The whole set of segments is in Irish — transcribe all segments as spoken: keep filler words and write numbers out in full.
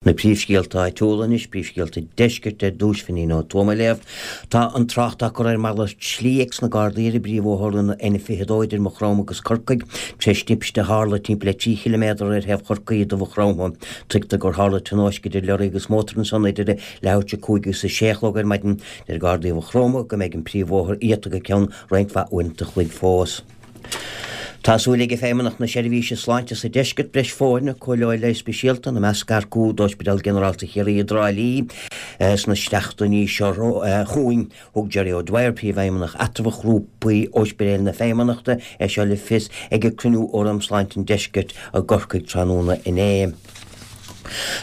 Na príomhscéalta áitiúla anois, príomhscéalta deiscirt ar dtús, Finín Ó Tuama á léamh. Tá an trácht á cur ar mhalairt slí ag na Gardaí ar an bpríomhbhóthar an N fiche dó idir Maigh Chromtha agus Corcaigh tar éis timpiste a tharla timpeall le trí chiliméadar ar thaobh Chorcaí de Mhaigh Chromtha. Tuigtear gur tharla tionóisc idir leoraí agus mótar ansan idir leathuair tar éis a cúig agus a sé a chlog ar maidin. Deir Gardaí Mhaigh Chromtha go mbeidh an príomhbhóthar iata go ceann roinnt mhaith uaireanta an chloig fós. Tá súil ag Feidhmeannacht na Seirbhíse Sláinte sa deisceart breis foirne cóireáil leighis speisialta ina measc earcú d'Ospidéal Ginearálta Chiarraí i dTrá Lí sna seachtainí seo chugainn. Thug Jerry O'Dwyer, príomhfheidhmeannach eatramhach ghrúpa Ospidéal na Feidhmeannachta, é seo le fios ag ag cruinniú Fhóram Sláinte an Deiscirt i gCorcaigh tráthnóna inné.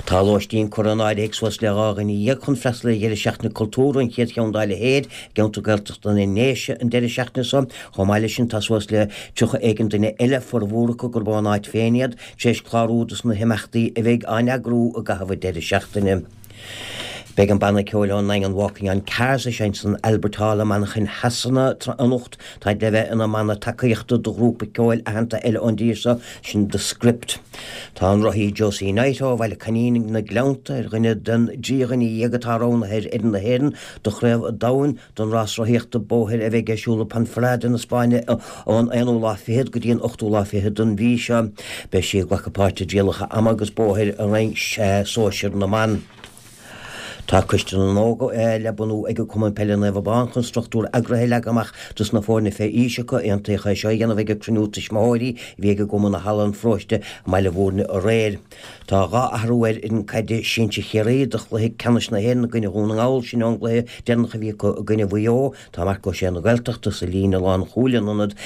Tá lóistín curtha in áirithe ag suas le dhá dhuine dhéag chun freastal ar dheireadh seachtaine cultúrtha an chéad cheann dá leithéid i gceantar Gaeltachta na nDéise an deireadh seachtaine seo. Chomh maith leis sin tá suas le tríocha éigin duine eile formhór acu gurb ón áit féin iad tar éis clárú dos na himeachtaí a bheidh á n-eagrú i gcaitheamh an deireadh seachtaine. Beidh an banna ceoil ón nDaingean Walking on Cars ag seinnt san Albert Hall i Manchain Shasana anocht. Táid le bheith ina mbanna tacaíochta do ghrúpa ceoil aitheanta eile ón dtír seo, sin The Script. Tá an rothaí Josie Knight ó Bhaile Coinín na Gleannta ar dhuine den dtrí dhuine dhéag atá roghnaithe ar fhoireann na hÉireann do chraobh an domhain don rás rothaíochta bóthair a bheidh ar siúl i Ponferrada na Spáinne ón aonú lá fichead go dtí an ochtú lá fichead den mhí seo. Beidh sí ag glacadh páirt i dtrialacha ama agus bóthair i roinn sóisir na mban. Tá Coiste na nÓg le bunú ag an Cumann Peile Naomh Abán chun struchtúr eagraithe a leagan amach dos na foirne fé aois acu. Aontaíodh é seo a dhéanamh ag an cruinniú tuismitheoirí a bhí ag an gcumann i Halla an Pharóiste i mBaile Bhúirne aréir. Tá dhá athrú ar fhoireann caide sinsir Chiarraí do chluiche ceannais na hÉireann i gcoinne Dhún na nGall, sin ón gcluiche deireanach a bhí acu i gcoinne Mhaigh Eo. Tá Marc Ó Sé na Gaeltachta sa líne lánchúil in ionad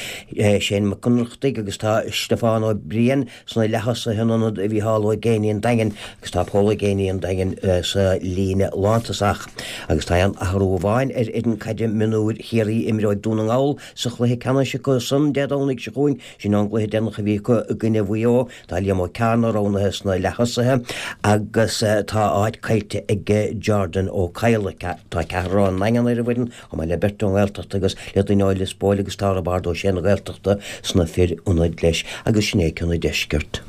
Shane Mac Ionnrachtaigh agus tá Stiofán Ó Briain sna leath-thosaithe in ionad Mhícheál Ó Géibheannaigh an Daingin agus tá Pól Ó Géibheannaigh an Daingin sa líne lántosach. Agus tá aon athrú amháin ar fhoireann caide mionúir Chiarraí a imreoidh Dún na nGall sa chluiche ceannais acu san Dé Domhnaigh seo chugainn, sin ón gcluiche deireanach a bhí acu i gcoinne Mhaigh Eo. Tá Liam Ó Cearna roghnaithe sna leath-thosaithe agus tá áit caillte ag Jordan Ó Cadhla. Tá ceathrar ón nDaingean ar an bhfoireann, chomh maith le beirt ón nGaeltacht agus le duine ó Lios Póil agus tá Roibeárd Ó Sé na Gaeltachta sna fir ionaid leis. Agus sin é ceann an deiscirt.